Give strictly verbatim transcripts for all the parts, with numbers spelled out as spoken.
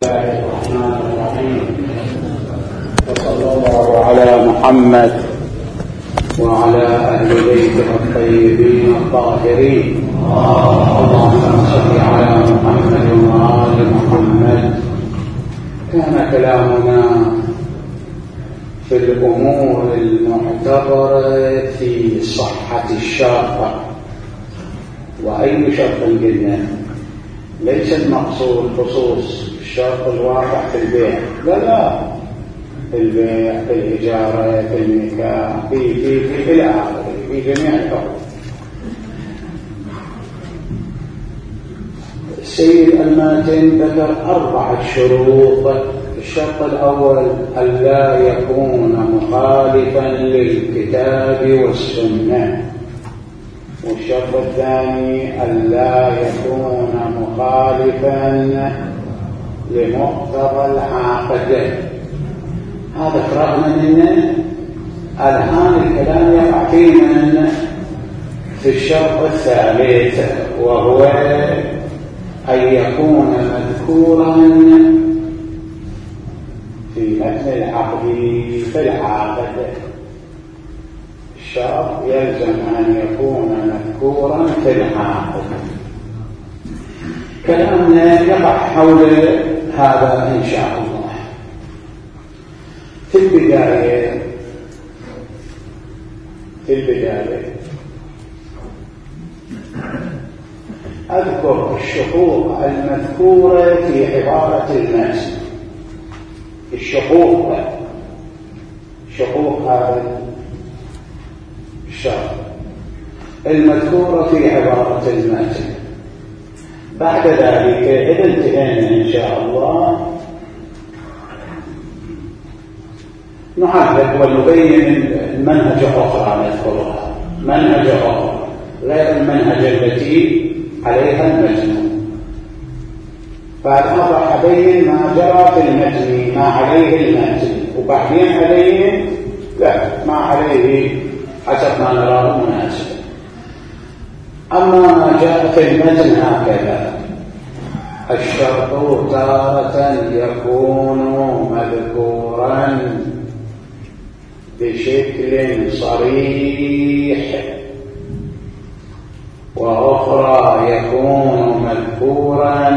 الله الرحمن الرحيم. وصلى الله على محمد وعلى أهل بيته الطيبين الطاهرين. اللهم صل على محمد وآل محمد. كان كلامنا في الأمور المعتبرة في صحة الشرط. وأي شرط قلنا ليس المقصود خصوص الشرط الواقع في البيع، لا لا، في البيع، في الإجارة، في النكاح، في في في إلى آخره، في جميع الحقوق. السيد الماتن ذكر أربعة شروط. الشرط الأول ألا يكون مخالفا للكتاب والسنة، والشرط الثاني ألا يكون مخالفا لمقتضى العقد. هذا قرأنا منه. الآن الكلام يقع فينا في الشرط الثالث، وهو أن يكون مذكورا في متن العقد في العقد. الشرط يلزم أن يكون مذكورا في العقد. كلامنا يقع حول هذا إن شاء الله. في البداية في البداية أذكر الشقوق المذكورة في عبارة المتن. الشقوق شقوق هذا الشرط المذكورة في عبارة المتن. بعد ذلك إذا انتهينا إن شاء الله نعرف ونبين المنهج أخرى نذكرها، منهج أخرى غير المنهج التي عليها المتن. فالآن راح أبين ما جرى في المتن، ما عليه المتن، وبعدين أبين لا ما عليه حسب ما نراه مناسبا. أما ما جاء في المتن هكذا: الشرط تارة يكون مذكورا بشكل صريح، وأخرى يكون مذكورا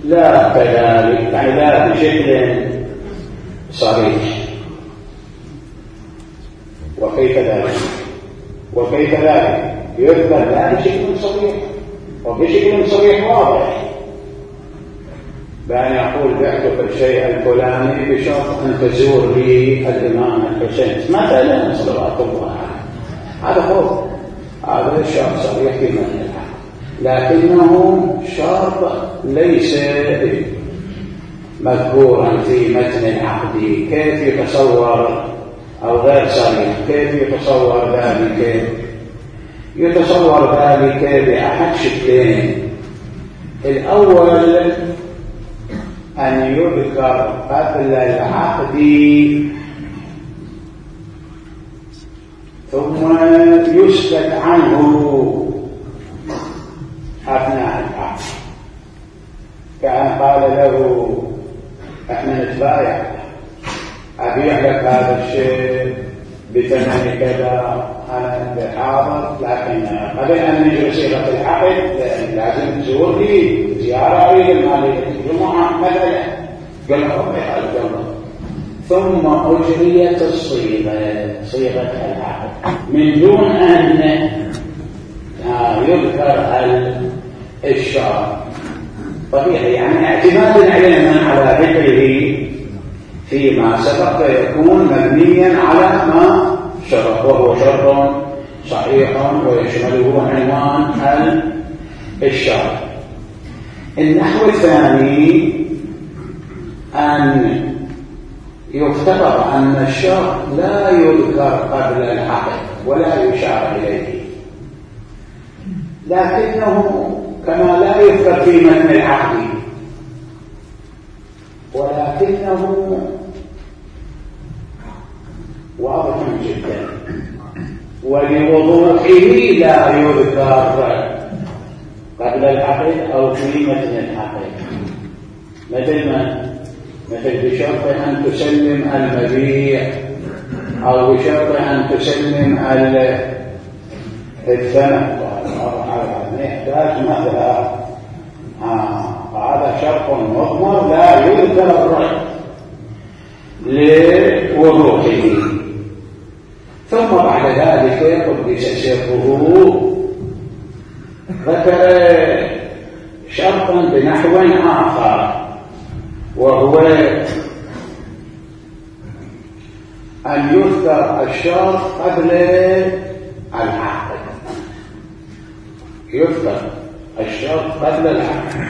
لا كذلك، يعني لا بشكل صريح. وكيف ذلك؟ وكيف ذلك؟ يذكر لا بشكل صريح، وبشكل صريح واضح، بأن يقول بعتك الشيء الفلاني بشرط أن تزور لي الإمام الحسين مثلا صلوات الله عليه. هذا هو هذا شرط صريح في متن العقد، لكنه شرط ليس مذكورا في متن العقد. كيف يتصور أو غير صريح؟ كيف يتصور ذلك؟ يتصور ذلك بأحد شكلين. الأول أن يذكر قبل العقد ثم يسكت عنه أثناء العقد، كأن قال له احنا نتبايع، أبيع لك هذا الشيء بثمن كذا، أنا بحاضر، لكن قبل أن نجري صيغة العقد لازم تزور لي زيارة لي المالية الجمعة مثلا. قال له ربي الجمعة، ثم أجريت الصيغة صيغة العقد من دون أن يذكر الشرط. طبيعي يعني اعتمادا علينا على ذكره فيما سبق يكون مبنيا على ما شرط، وهو شرط صحيح ويشمله عنوان الشرط. النحو الثاني أن يفترض أن الشرط لا يذكر قبل العقد ولا يشار إليه، لكنه كما لا يذكر في متن العقد، ولكنه واضح جدا، ولوضوحه لا يذكر قبل العقد أو في متن العقد، مثل ما مثل بشرط أن تسلم المبيع أو بشرط أن تسلم الثمن، يحتاج مثلا هذا شرط مضمر لا يذكر الرد لوضوحه. ثم بعد ذلك قدس سره ذكر شرطا بنحو آخر، وهو أن يذكر الشرط قبل العقد. يذكر الشرط قبل العقد،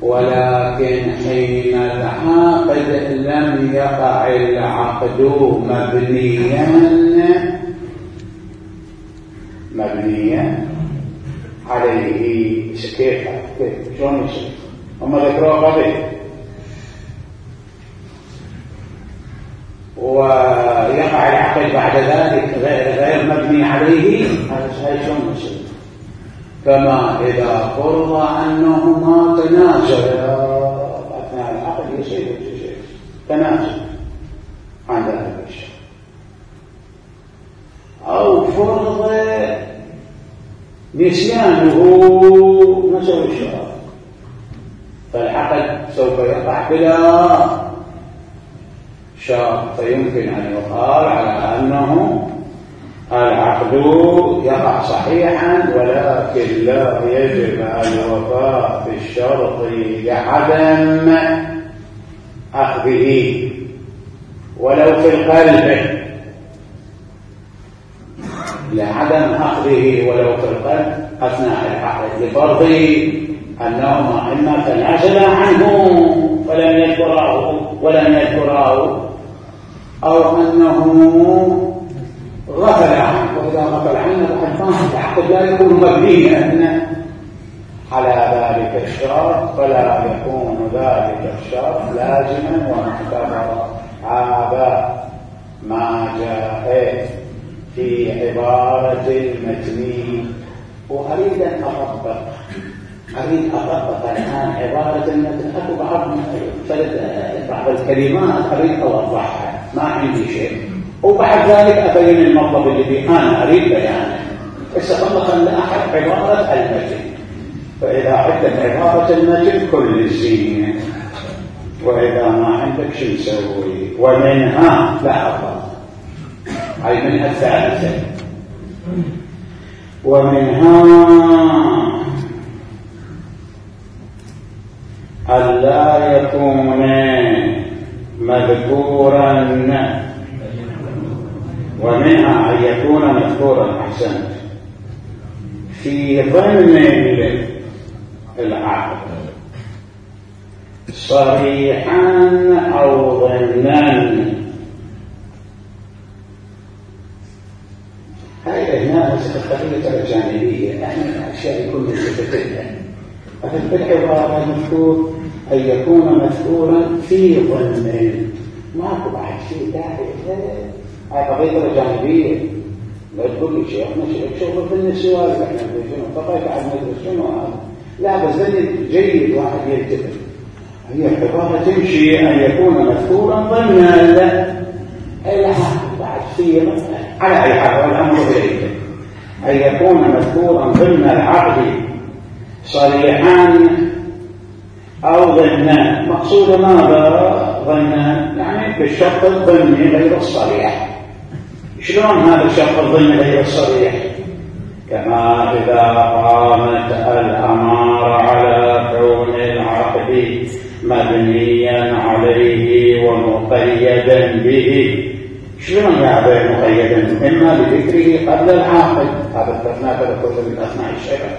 ولكن حين العقد لم يقع العقد مبنيا مبنيا عليه. كيف كيف شلون يصير؟ هم ذكروا قبل ويقع العقد بعد ذلك غير مبني عليه، هذا شلون يصير؟ كما إذا فرض أنهما تنازلا أثناء العقد يصير تنازل عن ذلك الشيء، أو فرض نسيانه نسوا الشرط، فالعقد سوف يقع بلا شرط، فيمكن أن يقال على أنه العقد يقع صحيحا، ولكن لا يجب الوفاء بالشرط لعدم أخذه ولو في القلب، لعدم أخذه ولو في القلب أثناء العقد، لفرض أنهما إما تنازلا عنه فلم يذكراه ولم يذكراه، أو أنه غفل عنه، وإذا غفل عنه فقد فهم العقد لا يكون مبنيا على ذلك الشرط، فلا يكون ذلك الشرط لازما ومعتبرا. هذا ما جاء في عبارة المتن. وأريد أن أطبق أريد أطبق الآن عبارة المتن. أكو بعض بعض الكلمات أريد أوضحها، ما عندي شيء، وبعد ذلك أبين المطلب الذي أنا أريد بيانه. استطلقا لأحد عبارة المتن، فإذا عندك عبارة المتن كل الزين، وإذا ما عندك شو نسوي؟ ومنها لا أفضل أي منها الثالثة، ومنها ألا يكون مذكورا، ومنها أن يكون مذكورا أحسنت في ضمن العقد صريحا أو ضمنا. هذه هنا القضية الجانبية، احنا الأشياء كلها تتكلم. في العبارة المذكور أن يكون مذكورا في ضمن، ماكو بعد شيء داعي. هاي قضية الجانبية، لا تقول لي شيخ شغل في النسوان احنا شنو فقط على المدرسة شنو هذا، لا بس جيد واحد يلتفت. هي عبارة تمشي أن يكون مذكورا ضمن أي بعد فيه على أي حال والأمر إليك أن يكون مذكورا ضمن العقد صريحا أو ضمنا. مقصود ماذا ضمنا؟ يعني بالشرط الضمني غير الصريح. شلون هذا الشرط الضمني غير الصريح؟ كما إذا قامت الأمارة على كون العقد مبنيا عليه ومقيدا به. شلون يعني مقيدا؟ إما بذكره قبل العقد، هذا التفنات لكل من أثناء الشرع،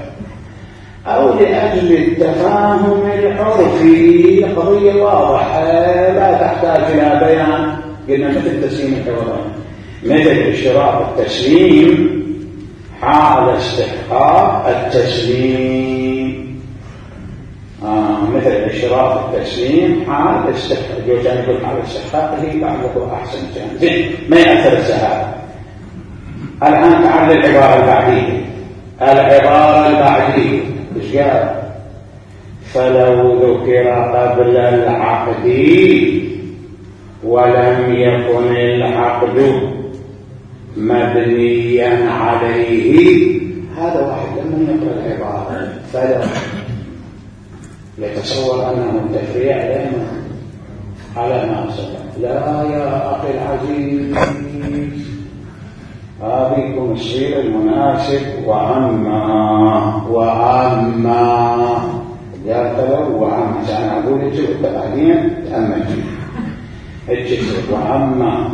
أو لأجل التفاهم العرفي. قضية واضحة لا تحتاج إلى بيان. قلنا مثل تسليم الحوالين، مثل اشتراط التسليم حال استحقاق التسليم. آه مثل اشتراط التسليم حال استحقاق، جوجان يقول حال استحقاقه بعده أحسن جانب ما يأثر السهالة. الآن تعال العبارة البعدية. العبارة البعدية إيش قال؟ فلو ذكر قبل العقد ولم يكن العقد مبنيا عليه، هذا واحد لما يقرأ العبارة فلو يتصور أنه التشريع دائما على ما سبق. لا يا أخي العزيز، هذه الشيء المناسب. وأما وأما قال فلو وأما أنا أقول الجزء التقاليد أما الجزء وأما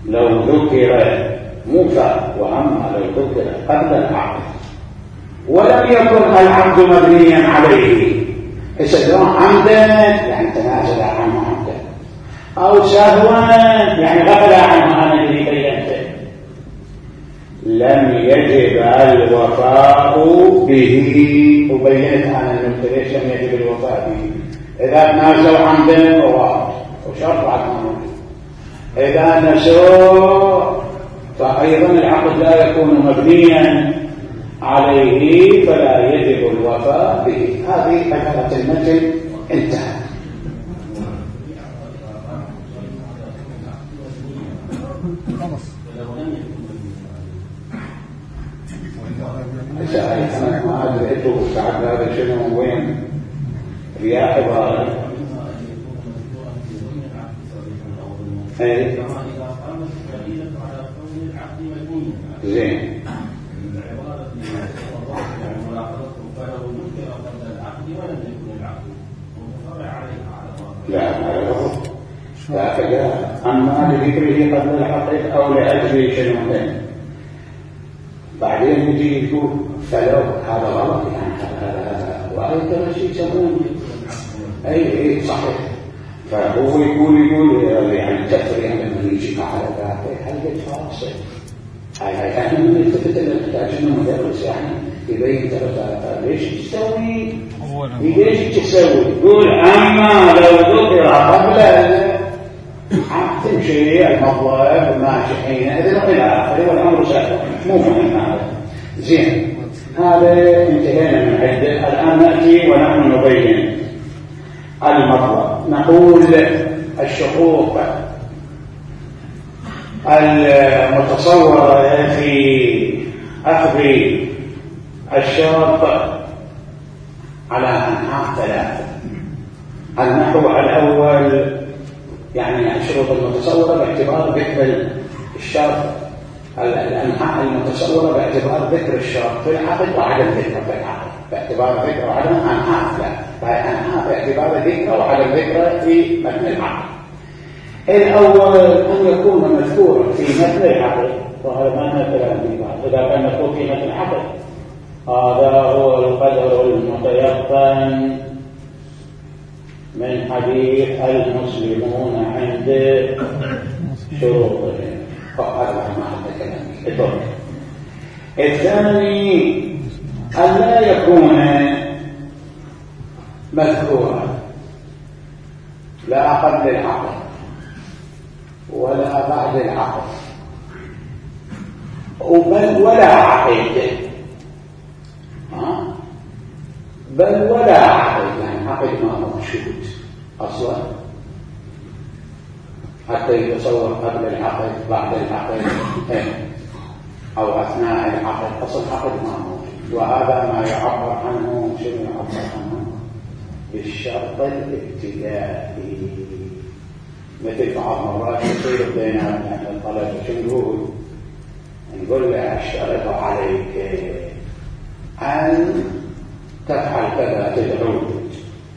لو ذكر موسى وأما لو ذكر قبل العقد ولم يكن العقد مبنيا عليه، إذا عمدا يعني تنازل عنه عمدا، أو سهوا يعني غفل عنه أنا الذي بينته، لم يجب الوفاء به. وبينت أنا النقطة ليش لم يجب الوفاء به. إذا تنازلوا عمدا فهو وشرط بعد ما موجود، إذا نسوا فأيضا العقد لا يكون مبنيا عليه فلا يجب الوفاء به. هذه عبارة المتن انتهت. إذا أنا ما أدريته بعد هذا شنو وين يا عبارة أي زين لا لا فجاء أما لذكره قبل الحقيقة أو لأجل شنو بعدين يجي يقول فلو هذا غلط يعني هذا هذا وهذا شيء يسمونه أي أي صحيح. فهو يقول يقول يعني التفريع لما يجي على ذاته هل يتفاصل هاي هاي احنا من التفت اللي نحتاج انه مدرس يعني يبين ترى ليش تسوي ليش تسوي. يقول اما لو ذكر قبل تمشي المطلب ماشي حينئذ الى اخره والامر سهل مو مهم هذا. زين هذا انتهينا من عده. الان ناتي ونحن نبين المطلب. نقول الشقوق المتصورة في أخذ الشرط على أنحاء ثلاثة. النحو الأول يعني الشروط المتصورة باعتبار ذكر الشرط، الأنحاء المتصورة باعتبار ذكر الشرط في العقد وعدم ذكره في العقد، باعتبار ذكر وعدم أنحاء ثلاثة، أنحاء باعتبار ذكر وعدم ذكره في متن العقد. الأول أن يكون مذكورا في متن العقد، وهذا ما مثلا في بعض إذا كان مذكور في متن العقد هذا هو القدر المتيقن من حديث المسلمون عند شروطهم. فهذا معنى كلامي. الثاني أن لا يكون مذكورا لا قبل العقد ولا بعد العقد بل ولا عقد، بل ولا عقد يعني عقد ما هو موجود اصلا حتى يتصور قبل العقد بعد العقد او اثناء العقد، اصل عقد ما موجود. وهذا ما يعبر عنه شنو يعبر عنه بالشرط الابتدائي. مثل بعض مرات يصير بين الطلبة شو نقول؟ نقول له أشترط عليك أن تفعل كذا تدعو،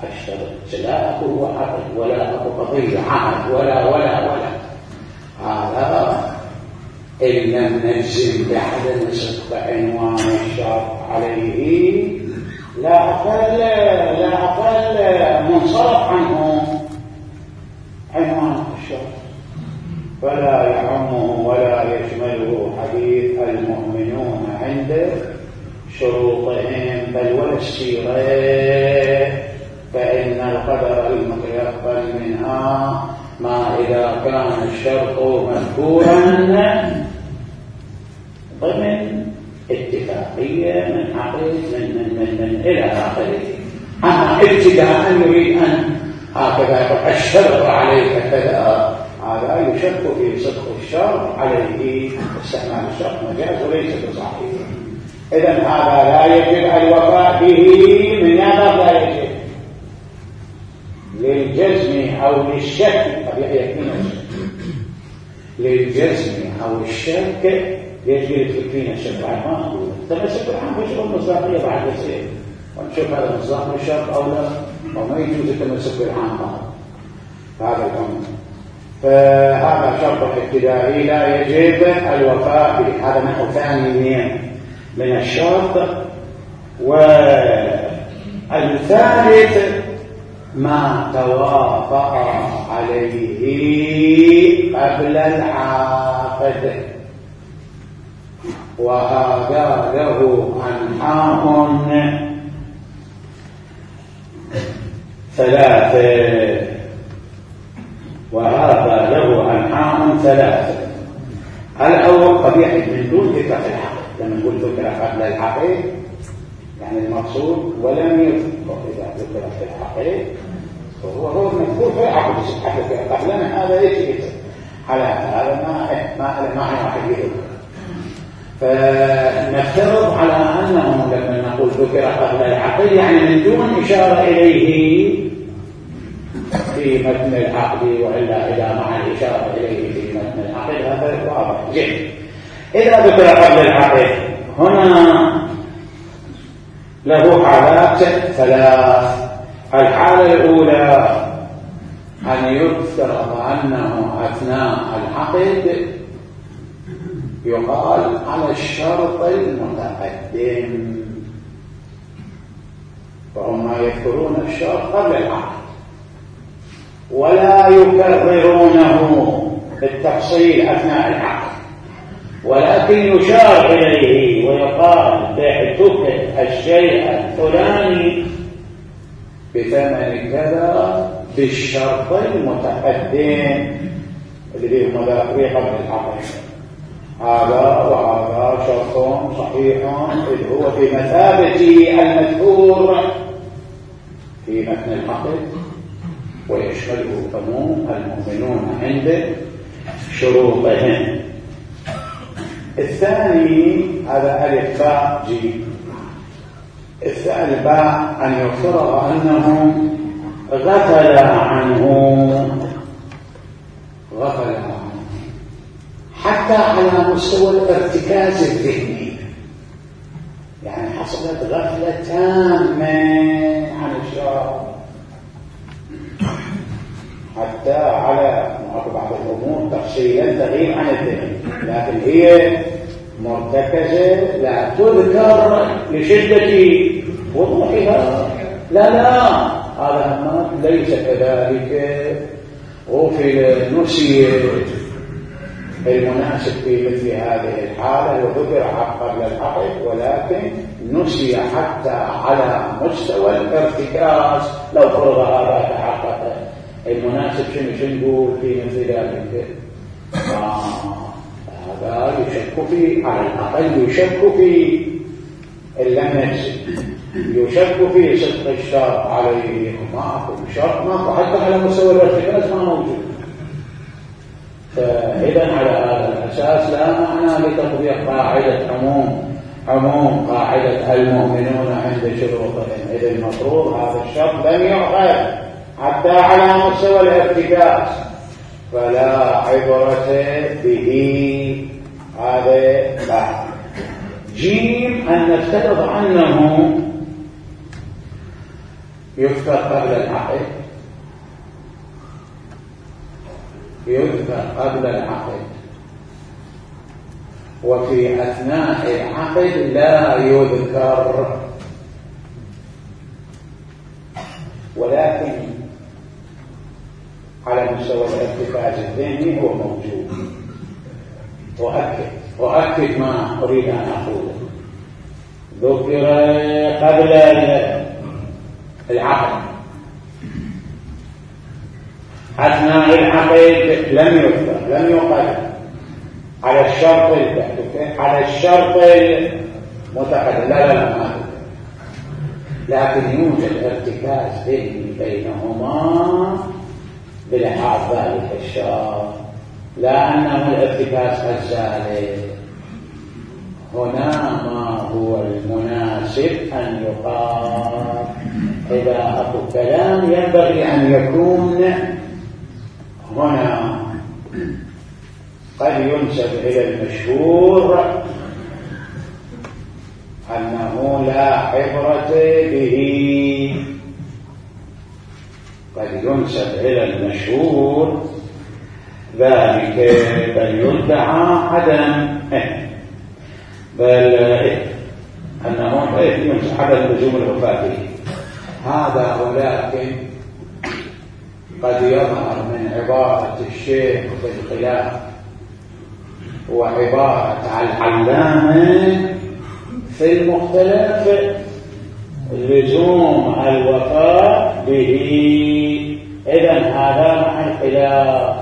أشترط لا أكو عقد ولا أكو قضية عقد ولا ولا ولا هذا إن لم نجزم بأحد نصف عنوان الشرط عليه لا أقل لا أقل منصرف عنه عنوان الشرط، فلا يعمه ولا يشمله حديث المؤمنون عند شروطهم بل ولا السيرة، فإن القدر المتيقن منها ما إذا كان الشرط مذكورا ضمن اتفاقية من عقد من من من, من إلى آخره. أما ابتداء يريد أن هكذا يقول أشترط عليك كذا، هذا يشك في صدق الشرط عليه، استعمال الشرط مجاز وليس بصحيح. إذن هذا لا يجب الوفاء به من نظر لا يجب للجزم أو للشك، قد يكون للجزم أو الشك يجب يكفينا الشك بعد ما أقول تمسك الحين بشغل المصداقية بعد يصير ونشوف هذا مصداق الشرط أو لا، أو ما يجوز التمسك بالحين هذا الأمر. فهذا شرط ابتدائي لا يجب الوفاء به، هذا نحو ثاني من الشرط. والثالث ما توافق عليه قبل العقد، وهذا له أنحاء ثلاثة وهذا له أنحاء ثلاثة. الأول قبيح من دون ذكر الحق، لما نقول ذكر قبل الحق يعني المقصود ولم يذكر، إذا ذكر في الحق فهو هو المذكور في العقد قبلنا، هذا يجب على هذا ما ما ما واحد يذكر. فنفترض على أنه لما نقول ذكر قبل العقد يعني من دون إشارة إليه في متن العقد، وإلا إذا مع الإشارة إليه في متن العقد هذا واضح جدا. إذا ذكر قبل العقد هنا له حالات ثلاث. الحالة الأولى أن يفترض أنه أثناء العقد يقال على الشرط المتقدم، فهم يذكرون الشرط قبل العقد ولا يكررونه بالتفصيل أثناء العقد، ولكن يشار إليه ويقال بعتك الشيء الفلاني بثمن كذا بالشرط المتقدم الذي هم ذاكرين قبل العقد. هذا وهذا شرط صحيح إذ هو في مثابة المذكور في متن العقد ويشمله عموم المؤمنون عند شروطهم. الثاني هذا ألف باء جيم. الثاني باء أن يفترض أنه غفل عنه غفل عنه حتى على مستوى الارتكاز الذهني، يعني حصلت غفلة تامة عن الشرع حتى على بعض الأمور تفصيلا تغيب عن الذهن، لكن هي مرتكزة لا تذكر لشدة وضوحها. لا لا هذا ليس كذلك. غفل نسي المناسب في مثل هذه الحالة وذكر قبل العقد، ولكن نسي حتى على مستوى الارتكاز. لو فرض هذا تحقق المناسب شنو شنو في مثل ذلك، آه هذا يشك في على الأقل يشك في اللمس، يشك في صدق الشرط عليه، ماكو شرط ماكو حتى على مستوى الارتكاز ما موجود. فإذا على هذا الأساس لا معنى لتطبيق قاعدة عموم عموم قاعدة المؤمنون عند شروطهم. إذا المفروض هذا الشرط لم يؤخذ حتى على مستوى الارتكاز فلا عبرة به. هذا بعد. جيم أن نفترض أنه يذكر قبل العقد يذكر قبل العقد وفي أثناء العقد لا يذكر، ولكن على مستوى الارتكاز الذهني هو موجود. وأكد وأكد ما أريد أن أقوله. ذكر قبل العقد، أثناء العقد لم يذكر لم يقل على الشرط على الشرط المتقدم. لا لا لا ما ذكر. لكن يوجد ارتكاز علمي بينهما بلحاظ ذلك الشرط، لا أنه الارتكاز الزالي. هنا ما هو المناسب أن يقال إذا أكو كلام ينبغي أن يكون هنا قد ينسب إلى المشهور أنه لا عبرة به، قد ينسب إلى المشهور ذلك، بل يدعى عدم بل أنه ينسب عدم لزوم الوفاة به هذا، ولكن قد يظهر من عبارة الشيخ في الخلاف وعبارة العلامة في المختلف لزوم الوفاء به. إذن هذا مع الخلاف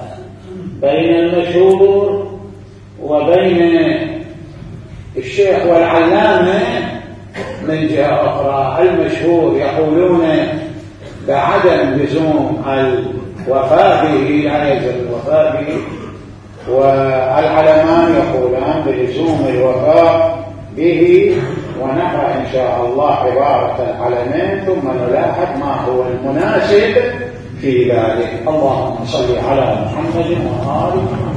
بين المشهور وبين الشيخ والعلامة من جهة أخرى. المشهور يقولون بعدم لزوم الوفاء به، لا يلزم الوفاء به، والعلمان يقولان بلزوم الوفاء به. ونقرأ إن شاء الله عبارة العلمين ثم نلاحظ ما هو المناسب في ذلك. اللهم صل على محمد وآل محمد.